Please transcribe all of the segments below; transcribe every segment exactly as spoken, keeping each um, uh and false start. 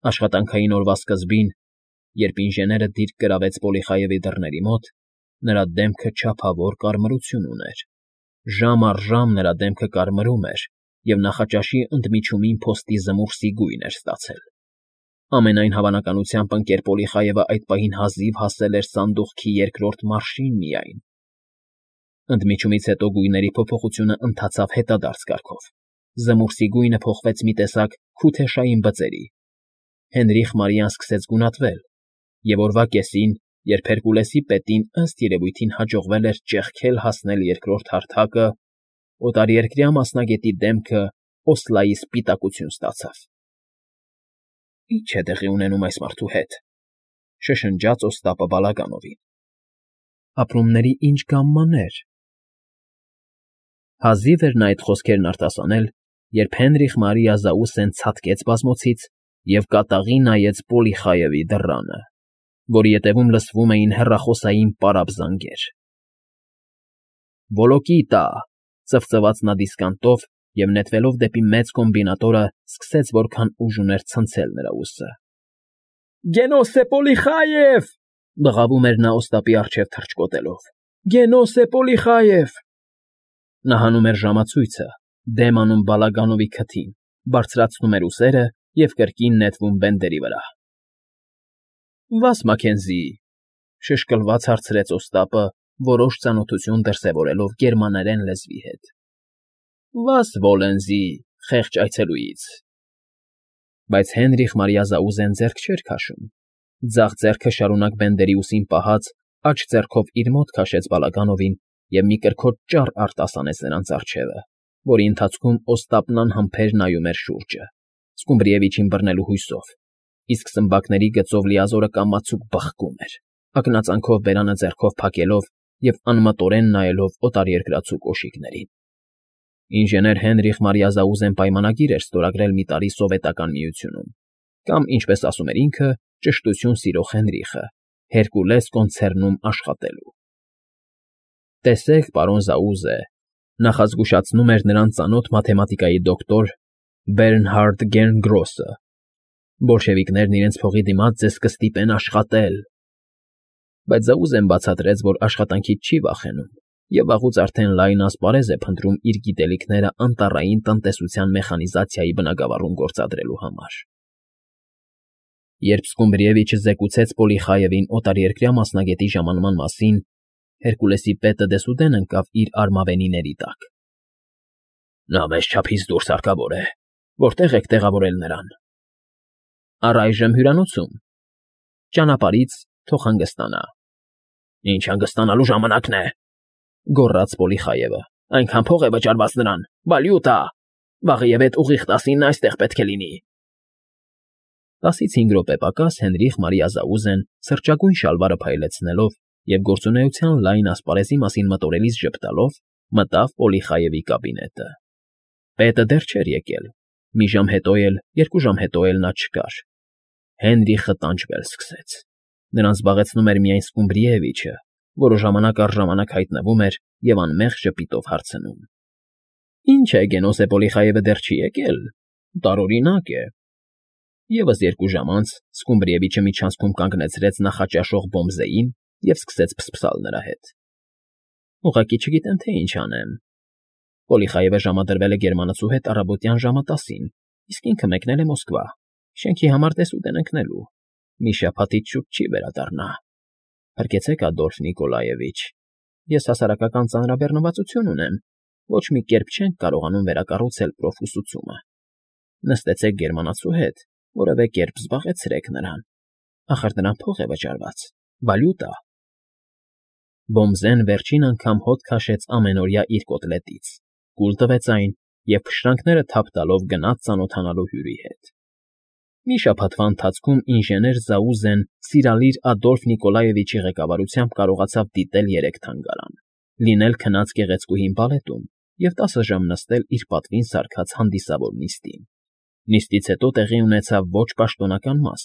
Աշխատանքային օրվա սկզբին, երբ ինժեները դիրք գրավեց Պոլիխայևի դռների մոտ, նրա դեմքը չափավոր կարմրություն ուներ. ժամ առ ժամ նրա դեմքը կարմրում էր և նախաճաշի ընդմիջումին փոստի զմուռսի գույն էր ստացել։ Ամենայն հավանականությամբ ընկեր Պոլիխայևը այդ պահին հազիվ հասել էր սանդուղքի երկրորդ մարշին միայն։ Ընդմիջումից հետո գույների փոփոխությունը ընթացավ հետադարձ կարգով։ Զմուռսի գույնը փոխվեց մի տեսակ քութեշային բծերի։ Հենրիխ Մարիան սկսեց գունատվել, և օրվա կեսին, երբ Հերկուլեսի պետին ըստ երևույթին հաջողվել էր ճեղքել հասնել երկրորդ հարթակը, օտարերկրյա մասնագետի դեմքը Օսլայի սպիտակություն ստացավ։ Ի՞նչ է տեղի ունենում այս մարդու հետ,֊ շշնջաց Օստապը Բալագանովին։ Ապրումների ինչ գամմաներ… Հազիվ էր նա այդ խոսքերն արտասանել, երբ Հենրիխ Մարիա Զաուսեն ցատկեց բազմոցից և կատաղի նայեց Պոլիխայևի դռանը, որի ետևում լսվում էին հեռախոսային պարապ զանգեր։ Վոլոկիտա,֊ ծվծվաց նա դիսկանտով և, նետվելով դեպի մեծ կոմբինատորը, սկսեց որքան ուժ ուներ ցնցել նրա ուսը։ «Գենոս է Պոլիխայև,֊ բղավում էր նա Օստապի առջև թռչկոտելով,֊ Գենոս է Պոլիխայև…» Նա հանում էր ժամացույցը, դեմ անում Բալագանովի քթին, բարձրացնում էր ուսերը և կրկին նետվում բենդերի վրա։ «Վաս Մաքենզի,֊ շշկլված հարցրեց Օստապը, որոշ ծանոթություն դրսևորելով գերմաներեն լեզվի հետ։ Վաս Վոլենզի, խեղճ այցելուից…» Բայց Հենրիխ Մարիա Զաուզեն ձեռք չէր քաշում։ Ձախ ձեռքը շարունակ բենդերի ուսին պահած, աջ ձեռքով իր մոտ քաշեց Բալագանովին և մի կրքոտ ճառ արտասանեց նրանց առջևը, որի ընթացքում Օստապն անհամբեր նայում էր շուրջը, Սկումբրիևիչին բռնելու հույսով, իսկ սմբակների գծով լիազորը կամացուկ բխկում էր, ակնածանքով բերանը ձեռքով փակելով և անմտորեն նայելով օտարերկրացու կոշիկներին։ Ինժեներ Հենրիխ Մարիա Զաուզեն պայմանագիր էր ստորագրել մի տարի Սովետական Միությունում, կամ, ինչպես ասում էր ինքը, ճշտություն սիրող Հենրիխը, Հերկուլես կոնցերնում աշխատելու։ Տեսեք, պարոն Զաուզե,֊ նախազգուշացնում էր նրան ծանոթ մաթեմատիկայի դոկտոր Բերնհարդ Գերնգրոսը,֊ բոլշևիկներն իրենց փողի դիմաց ձեզ կստիպեն աշխատել… Բայց Զաուզեն բացատրեց, որ աշխատանքից չի վախենում և վաղուց արդեն լայն ասպարեզ է փնտրում իր գիտելիքները անտառային տնտեսության մեխանիզացիայի բնագավառում գործադրելու համար։ Երբ Սկումբրիևիչը զեկուցեց Պոլիխայևին օտարերկրյա մասնագետի ժամանման մասին, Հերկուլեսի պետը դեսուդեն ընկավ իր արմավենիների տակ։ «Նա մեծ չափից դուրս հարկավոր է… Որտե՞ղ եք տեղավորել նրան»։ «Առայժմ հյուրանոցում… Ճանապարհից թող հանգստանա»։ «Ինչ հանգստանալու ժամանակն է,֊ գոռաց Պոլիխայևը,֊ այնքան փող է վճարված նրան… Վալյուտա… Վաղը և ուղիղ տասինը այստեղ պետք է լինի»։ Տասից հինգ րոպե պակաս Հենրիխ Մարիա Զաուզեն, սրճագույն շալվարը փայլեցնելով և գործունեության լայն ասպարեզի մասին մտորելիս ժպտալով, մտավ Պոլիխայևի կաբինետը։ Պետը դեռ չէր եկել, մի ժամ հետո էլ, երկու ժամ հետո էլ նա չկար։ Հենրիխը տանջվել սկսեց։ Նրան զբաղեցնում էր միայն Սկումբրիևիչը, որը ժամանակ առ ժամանակ հայտնվում էր և անմեղ ժպիտով հարցնում. «Ի՞նչ է, Գենոս է Պոլիխայևը դեռ չի եկել… Տարօրինակ է…» Եվս երկու ժամ անց Սկումբրիևիչը միջանցքում կանգնեցրեց նախաճաշող Բոմզեին և սկսեց փսփսալ նրա հետ։ «Ուղղակի չգիտեմ, թե ինչ անեմ… Պոլիխայևը ժամադրվել է գերմանացու հետ առավոտյան ժամը տասին, իսկ ինքը մեկնել է Մոսկվա, շենքի համար դեսուդեն ընկնելու, մի շաբաթից շուտ չի վերադառնա… Փրկեցեք, Ադոլֆ Նիկոլաևիչ, ես հասարակական ծանրաբեռնվածություն ունեմ, ոչ մի կերպ չենք կարողանում վերակառուցել պրոֆուսուցումը… Նստեցեք գերմանացու հետ, որևէ կերպ զբաղեցրեք նրան… Ախր նրան փող է վճարված… Վալյուտա… Բոմզեն վերջին անգամ հոտ քաշեց ամենօրյա իր կոտլետից, կուլ տվեց այն և փշրանքները թափ տալով գնաց ծանոթանալու հյուրի հետ։ Մի շաբաթվա ընթացքում ինժեներ Զաուզեն սիրալիր Ադոլֆ Նիկոլաևիչի ղեկավարությամբ կարողացավ դիտել երեք թանգարան, լինել քնած գեղեցկուհին բալետում և տասը ժամ նստել իր պատվին սարքած հանդիսավոր նիստին։ Նիստից հետո տեղի ունեցավ ոչ պաշտոնական մաս,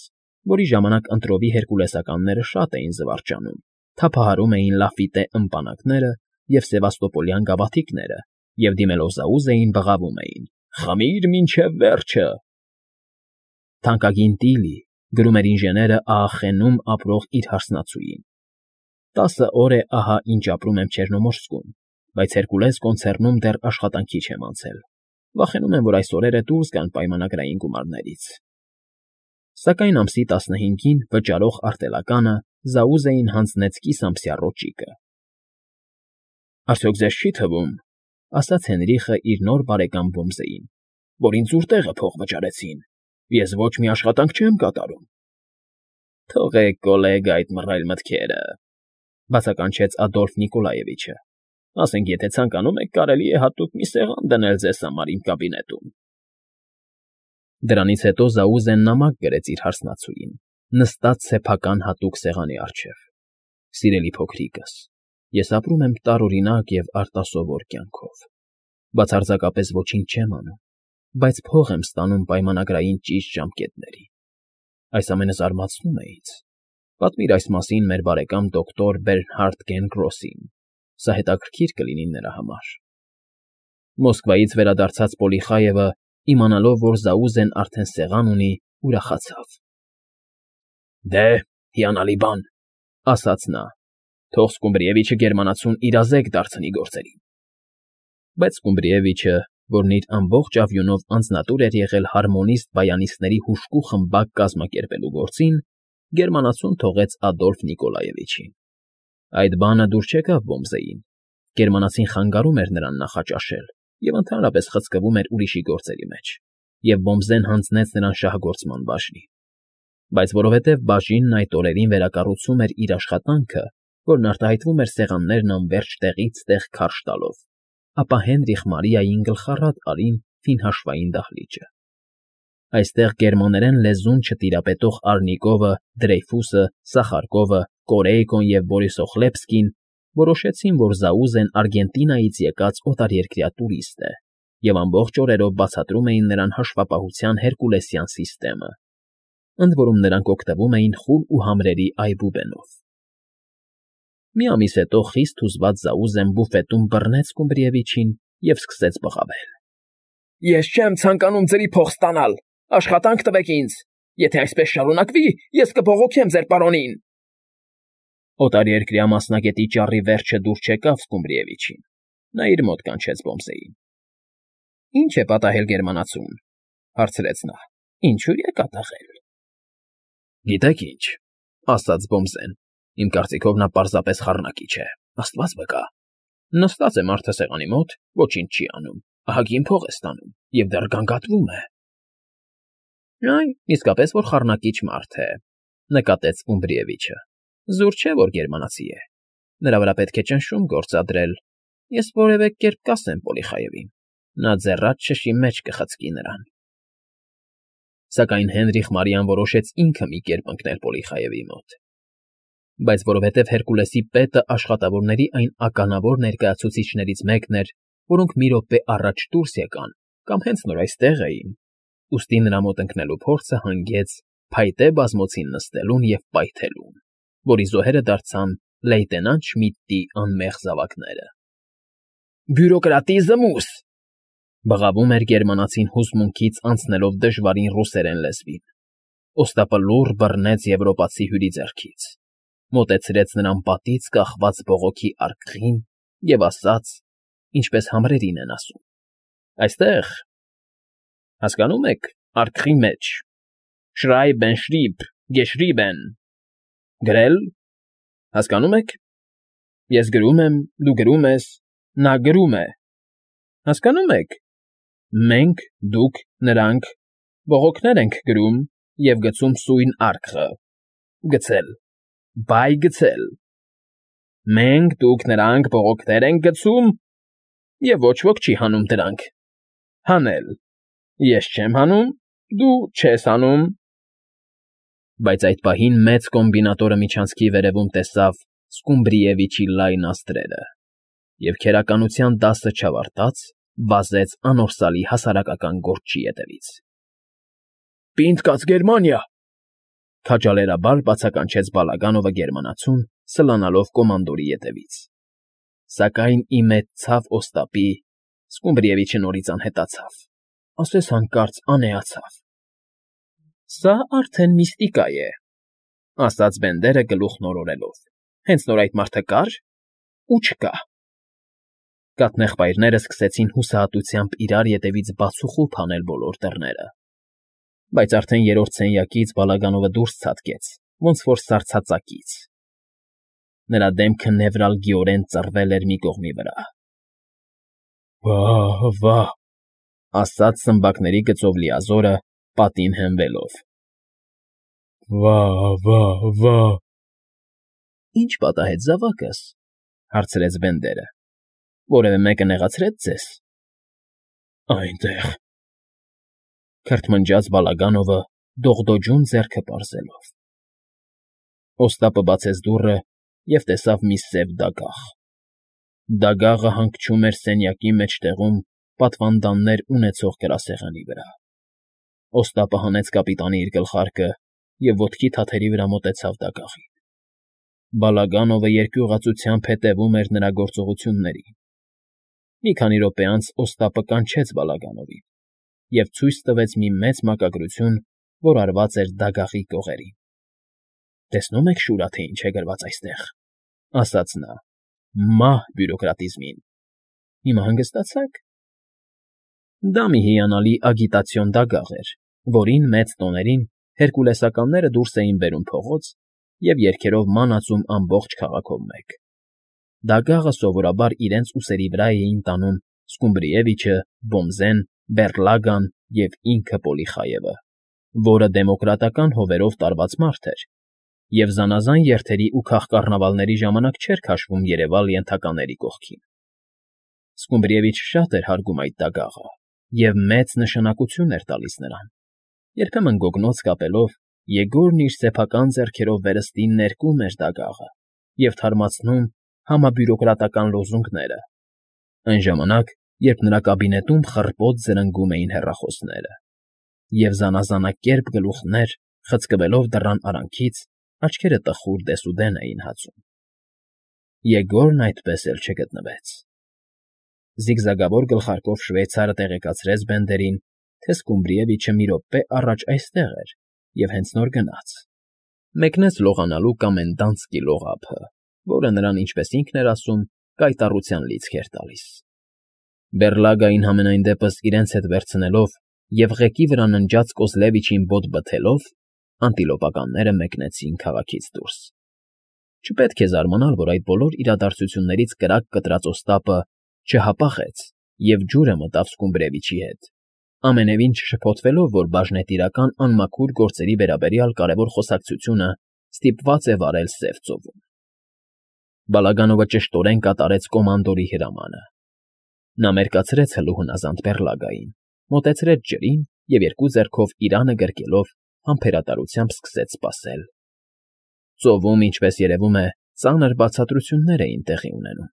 որի ժամանակ ընտրովի հերկուլեսականները շատ էին զվարճանում, թափահարում էին լաֆիտե ըմպանակները և սևաստոպոլյան գավաթիկները և, դիմելով Զաուզեին, բղավում էին. «Խմիր մինչև վերջը»։ Թանկագին Տիլի, գրում էր ինժեները Աախենում ապրող իր հարսնացուին։ Տասը օր է ահա ինչ ապրում եմ Չեռնոմորսկում, բայց Հերկուլես կոնցեռնում դեռ աշխատանքի չեմ անցել, վախենում եմ, որ այս օրերը դուրս գան պայմանագրային գումարներից։ Սակայն ամսի տասնհինգին վճարող արտելականը Զաուզեին հանձնեց կիսամսյա ռոճիկը։ Արդյոք ձեզ չի թվում, ասաց Հենրիխը իր նոր բարեկամ Ոմզեին, որ ինձ ուր տեղը փող վճարեցին, ես ոչ մի աշխատանք չեմ կատարում։ Թողեք, գոլեգա, այդ մռայլ մտքերը, բացականչեց Ադոլֆ Նիկոլաևիչը։ Ասենք, եթե ցանկանում եք, կարելի է հատուկ մի սեղան դնել ձեզ համար իմ կաբինետում։ Դրանից հետո Զաուզեն նամակ գրեց իր հարսնացուին, նստած սեփական հատուկ սեղանի առջև։ Սիրելի փոքրիկս, ես ապրում եմ տարօրինակ և արտասովոր կյանքով, բացարձակապես ոչինչ չեմ անում, բայց փող եմ ստանում պայմանագրային ճիշտ ժամկետներին։ Այս ամենը զարմացնում է ինձ։ Պատմիր այս մասին մեր բարեկամ դոկտոր Բերնհարդ Գենգրոսին, սա հետաքրքիր կլինի նրա համար։ Մոսկվայից վերադարձած Պոլիխայևը, իմանալով, որ Զաուզեն արդեն սեղան ունի, ուրախացավ։ Դե, հիանալի բան, ասաց նա, թող Սկումբրիևիչը գերմանացուն իրազեկ դարձնի գործերին։ Բայց Սկումբրիևիչը, որն իր ամբողջ ավյունով անձնատուր էր եղել հարմոնիստ բայանիստների հուժկու խմբակ կազմակերպելու գործին, գերմանացուն թողեց Ադոլֆ Նիկոլաևիչին։ Այդ բանը դուր չեկավ Ոմզեին։ Գերմանացին խանգարում էր նրան նախաճաշել և ընդհանրապես խցկվում էր ուրիշի գործերի մեջ, և Ոմզեն հանձնեց նրան շահգործման բաժնի։ Բայց որովհետև բաժինն այդ օրերին վերակառուցում էր իր աշխատանքը, որն արտահայտվում էր սեղաններն անվերջ տեղից տեղ քարշ տալով, ապա Հենրիխ Մարիային գլխառատ արին ֆինհաշվային դահլիճը։ Այստեղ գերմաներեն լեզուն չտիրապետող Առնիկովը, Դրեյֆուսը, Սախարկովը, Կորեյկոն և Բորիսոխլեպսկին որոշեցին, որ Զաուզեն Արգենտինայից եկած օտարերկրյա տուրիստ է, և ամբողջ օրերով բացատրում էին նրան հաշվապահության հերկուլեսյան սիստեմը, ընդ որում նրանք օգտվում էին խուլ ու համրերի այբուբենով։ Մի ամիս հետո խիստ հուզված Զաուզեն բուֆետում բռնեց Սկումբրիևիչին և սկսեց բղավել։ Ես չեմ ցանկանում ձերի փող ստանալ, աշխատանք տվեք ինձ, եթե այսպես շարունակվի, ես կբողոքեմ ձեր պարոնին։ Օտարերկրյա մասնագետի ճառի վերջը դուր չեկավ Սկումբրիևիչին։ Նա իր մոտ կանչեց Ոմզեին։ Ինչ է պատահել գերմանացուն, հարցրեց նա։ Ինչու է կատաղել։ Գիտեք ինչ, ասաց Ոմզեն, իմ կարծիքով նա պարզապես խառնակիչ է, աստված վկա։ Նստած է մարդը սեղանի մոտ, ոչինչ չի անում, ահագին փող է ստանում և դեռ գանգատվում է։ Այ, իսկապես որ խառնակիչ մարդ է, նկատեց Սկումբրիևիչը։ Զուր չէ, որ գերմանացի է։ Նրա վրա պետք է ճնշում գործադրել, ես որևէ կերպ կասեմ Պոլիխայևին, նա ձեռած շշի մեջ կխցկի նրան։ Սակայն Հենրիխ Մարիան որոշեց ինքը մի կերպ ընկնել Պոլիխայևի մոտ։ Բայց որովհետև Հերկուլեսի պետը աշխատավորների այն ականավոր ներկայացուցիչներից մեկն էր, որոնք մի րոպե առաջ դուրս եկան կամ հենց նոր այստեղ էին, ուստի նրա մոտ ընկնելու փորձը հանգեց փայտե բազմոցին նստելուն և պայթելուն, որի զոհերը դարձան լեյտենանտ Շմիդտի անմեղ զավակները։ Բյուրոկրատիզմուս, բղավում էր գերմանացին հուզմունքից անցնելով դժվարին ռուսերեն լեզվին։ Օստապը լուռ բռնեց եվրոպացի հյուրի ձեռքից, մոտեցրեց նրան պատից կախված բողոքի արկղին և ասաց, ինչպես համրերին են ասում. Այստեղ, հասկանում եք, արկղի մեջ, շրայբեն, շրիբ, գեշրիբեն, գրել, հասկանում եք, ես գրում եմ, դու գրում ես, նա գրում է, հասկանում եք, մենք, դուք, նրանք, բողոքներ ենք գրում և գցում սույն արկղը, գցել, բայ գցել, մենք, դուք, նրանք բողոքներ ենք գցում և ոչ ոք չի հանում դրանք, հանել, ես չեմ հանում, դու չես հանում։ Բայց այդ պահին մեծ կոմբինատորը միջանցքի վերևում տեսավ Սկումբրիևիչի լայն աստրերը և քերականության դասը չավարտած վազեց անորսալի հասարակական գործչի ետևից։ Պինդ կաց Գերմանիա, քաջալերաբար բացականչեց Բալագանովը գերմանացուն, սլանալով կոմանդորի ետևից։ Սակայն ի մեծ ցավ Օստապի Սկումբրիևիչը նորից անհետացավ, ասես հանկարծ անեացավ։ Սա արդեն միստիկա է, ասաց Բենդերը գլուխն օրորելով, հենց նոր այդ մարդը կար ու չկա։ Կաթնեղբայրները սկսեցին հուսահատությամբ իրար ետևից բացուխուփ անել բոլոր դռները, բայց արդեն երրորդ սենյակից Բալագանովը դուրս ցատկեց, ոնց որ սառցածակից. նրա դեմքը նևրալգիորեն ծռվել էր մի կողմի վրա։ Վա՜, վա՜, ասաց սմբակների գծով Լիազորը, պատին հենվելով։ Վա՜, վա՜, վա՜։ Ինչ պատահեց զավակս, հարցրեց Բենդերը։ Որևէ մեկը նեղացրե՞ց ձեզ։ Այնտեղ, քրթմնջաց Բալագանովը, դողդոջուն ձեռքը պարզելով։ Օստապը բացեց դուռը և տեսավ մի սև դագաղ։ Դագաղը հանգչում էր սենյակի մեջտեղում պատվանդաններ ունեցող գրասեղանի վրա։ Օստապը հանեց կապիտանի իր գլխարկը և ոտքի թաթերի վրա մոտեցավ դագաղին։ Բալագանովը երկյուղածությամբ հետևում էր նրա գործողություններին։ Մի քանի րոպե անց Օստապը կանչեց Բալագանովին և ցույց տվեց մի մեծ մակագրություն, որ արված էր դագաղի կողերին։ Տեսնում եք, Շուրա, թե ինչ է գրված այստեղ, ասաց նա, մահ բյուրոկրատիզմին։ Հիմա հանգստացա՞ք։ Դա մի հիանալի ագիտացիոն դագաղ էր, որին մեծ տոներին հերկուլեսականները դուրս էին բերում փողոց և երգերով ման ածում ամբողջ քաղաքով մեկ։ Դագաղը սովորաբար իրենց ուսերի վրա էին տանում Սկումբրիևիչը, Բոմզեն, Բեռլագան և ինքը Պոլիխայևը, որը դեմոկրատական հովերով տարված մարդ էր և զանազան երթերի ու քաղկառնավալների ժամանակ չէր քաշվում երևալ ենթակաների կողքին։ Սկումբրիևիչը շատ էր հարգում այդ դագաղը և մեծ նշանակություն էր տալիս նրան։ Երբեմն գոգնոց կապելով՝ Եգորն իր սեփական ձեռքերով վերստին ներկում էր դագաղը և թարմացնում համաբյուրոկրատական լոզունգները, այն ժամանակ, երբ նրա կաբինետում խռպոտ զրնգում էին հեռախոսները, և զանազանակերպ գլուխներ, խցկվելով դռան արանքից, աչքերը տխուր դեսուդեն էին հացում։ Եգորն այդպես էլ չգտնվեց։ Զիգզագավոր գլխարկով շվեյցարը տեղեկացրեց Բենդերին, թե Սկումբրիևիչը մի րոպե առաջ այստեղ էր և հենց նոր գնաց։ Մեկնեց լողանալու կոմենդանտսկի լողափը, որը նրան, ինչպես ինքն էր ասում, կայտառության լիցք էր տալիս։ Բեռլագային համենայն դեպս իրենց հետ վերցնելով և ղեկի վրա ննջած Կոզլևիչին բոտ բթելով, անտիլոպականները մեկնեցին քաղաքից դուրս։ Չպետք է զարմանալ, որ այդ բոլոր իրադարձություններից կրակ կտրած Օստապը չհապաղեց և ջուրը մտավ Սկումբրիևիչի հետ, ամենևին չշփոթվելով, որ բաժնետիրական անմաքուր գործերի վերաբերյալ կարևոր խոսակցությունը ստիպված է վարել Սև ծովում։ Բալագանովը ճշտորեն կատարեց կոմանդորի հրամանը։ Նա մերկացրեց հլուհնազանդ Բեռլագային, մոտեցրեց ջրին և երկու ձեռքով իրանը գրկելով համբերատարությամբ սկսեց սպասել։ Ծովում, ինչպես երևում է, ծանր բացատրություններ էին տեղի ունենում։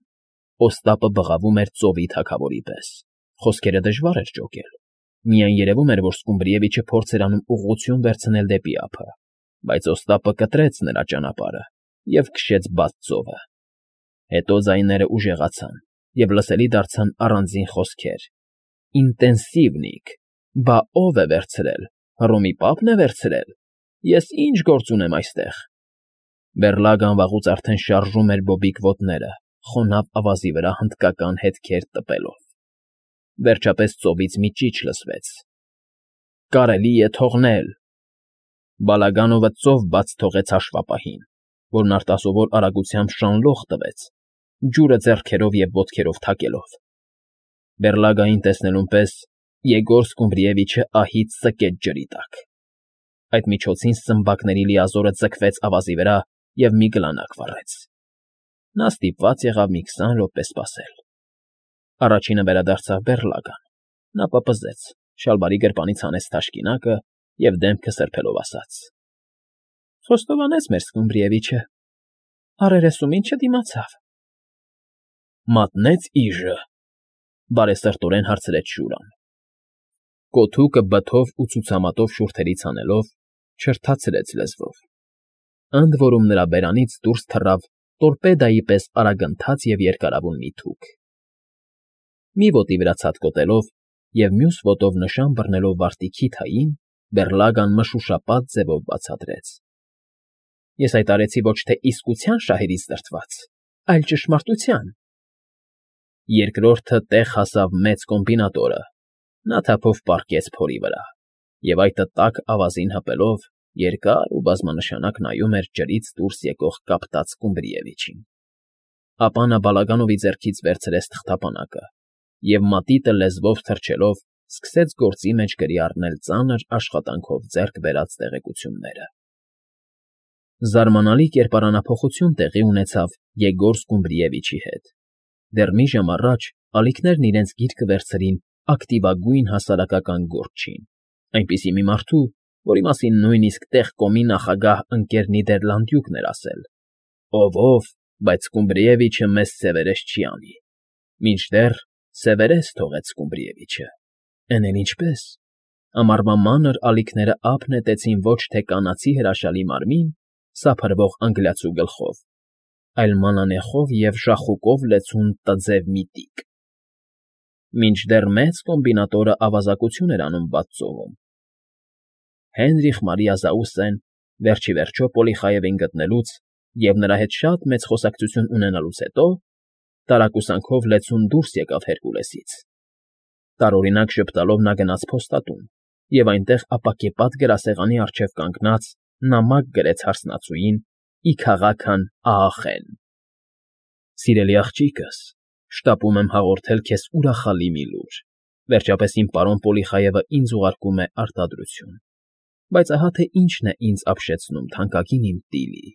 Օստապը բղավում էր ծովի թագավորի պես, խոսքերը դժվար էր ջոկել։ Միայն երևում էր, որ Սկումբրիևիչը փորձ էր անում ուղղություն վերցնել դեպի ափը, բայց Օստապը կտրեց նրա ճանապարհը և քշեց բաց ծովը։ Հետո ձայները ուժեղացան և լսելի դարձան առանձին խոսքեր. «Ինտենսիվնիկ, բա ո՞վ է վերցրել, Հռոմի պա՞պն է վերցրել, ես ի՞նչ գործ ունեմ այստեղ»։ Բեռլագան վաղուց արդեն շարժում էր բոբիկ ոտները, խոնավ ավազի վրա հնդկական հետքեր տպելով։ Վերջապես ծովից մի ճիչ լսվեց. «Կարելի է թողնել»։ Բալագանովը ծով բաց թողեց հաշվապահին, որն արտասովոր արագությամբ շանլոխ տվեց, ջուրը ձեռքերով և ոտքերով թակելով։ Բեռլագային տեսնելուն պես Եգոր Սկումբրիևիչը ահից ծկեց ջրի տակ։ Այդ միջոցին սմբակների Լիազորը ձգվեց ավազի վրա և մի գլանակ վառեց։ Նա ստիպված եղավ մի քսան րոպե սպասել։ Առաջինը վերադարձավ Բեռլագան։ Նա պպզեց, շալվարի գրպանից հանեց թաշկինակը և դեմքը սրբելով ասաց. Խոստովանեց մեր Սկումբրիևիչը, առերեսում ինչ չդիմացավ։ Մատնեց իժը, բարեսրտորեն հարցրեց Շուրան։ Կոթուկը բթով ու ցուցամատով շուրթերից հանելով, չրթացրեց լեզվով։ Ընդ որում նրա բերանից դուրս թռավ տորպեդայի պես արագընթաց և երկարավուն մի թուք։ Մի ոտի վրա ցատկոտելով և մյուս ոտով նշան բռնելով վարտիքի թային, Բեռլագան մշուշապատ ձևով բացատրեց. ֊ Ես այդ արեցի ոչ թե իսկության շահերից դրդված, այլ ճշմարտության… Երկրորդը տեղ հասավ մեծ կոմբինատորը, նա թափով պառկեց փորի վրա և այդը տաք ավազին հպելով երկար ու բազմանշանակ նայում էր ջրից դուրս եկող կապտած Սկումբրիևիչին, ապա նա Բալագանովի ձեռքից վերցրեց թղթապանակը և մատիտը լեզվով թռչելով սկսեց գործի մեջ գրի առնել ծանր աշխատանքով ձեռք բերած տեղեկությունները… Զարմանալի կերպարանափոխություն տեղի ունեցավ Եգոր Սկումբրիևիչի հետ. դեռ մի ժամ առաջ ալիքներն իրենց գիրկը վերցրին ակտիվագույն հասարակական գործչին, այնպիսի մի մարդու, որի մասին նույնիսկ տեղ կոմի նախագահ ընկեր Նիդերլանդյուկն էր ասել. «Ով՝ ով, բայց Սկումբրիևիչը մեզ սևերես չի անի», մինչդեռ սևերես թողեց Սկումբրիևիչը, էն էլ ինչպե՜ս… Ամառվա մանր ալիքները ափ նետեցին ոչ թե կանացի հրաշալի մարմին, սափրվող անգլիացու գլխով, այլ մանանեխով և ժախուկով լեցուն տձև միտիկ, մինչդեռ մեծ կոմբինատորը ավազակություն էր անում բաց ծովում… Հենրիխ Մարիա Զաուսեն, վերջ ի վերջո Պոլիխայևին գտնելուց և նրա հետ շատ մեծ խոսակցություն ունենալուց հետո, տարակուսանքով լեցուն դուրս եկավ Հերկուլեսից… Տարօրինակ ժպտալով նա գնաց փոստատուն և այնտեղ ապակեպատ գրասեղանի առջև կանգնած նամակ գրեց հարսնացուին՝ ի քաղաքն Աախեն. «Սիրելի աղջիկս, շտապում եմ հաղորդել քեզ ուրախալի մի լուր, վերջապես իմ պարոն Պոլիխայևը ինձ ուղարկում է արտադրություն, բայց ահա թե ինչն է ինձ ապշեցնում, թանկագին իմ Տիլի…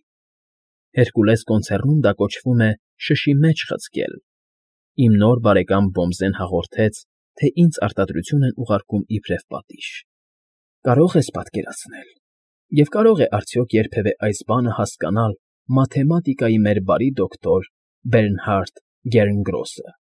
Հերկուլես կոնցեռնում դա կոչվում է շշի մեջ խցկել… Իմ նոր բարեկամ Բոմզեն հաղորդեց, թե ինձ արտադրություն են ուղարկում իբրև պատիժ… Կարո՞ղ ես պատկերացնել… Եվ կարո՞ղ է արդյոք երբևէ այս բանը հասկանալ մաթեմատիկայի մեր բարի դոկտոր Բերնհարդ Գերնգրոսը…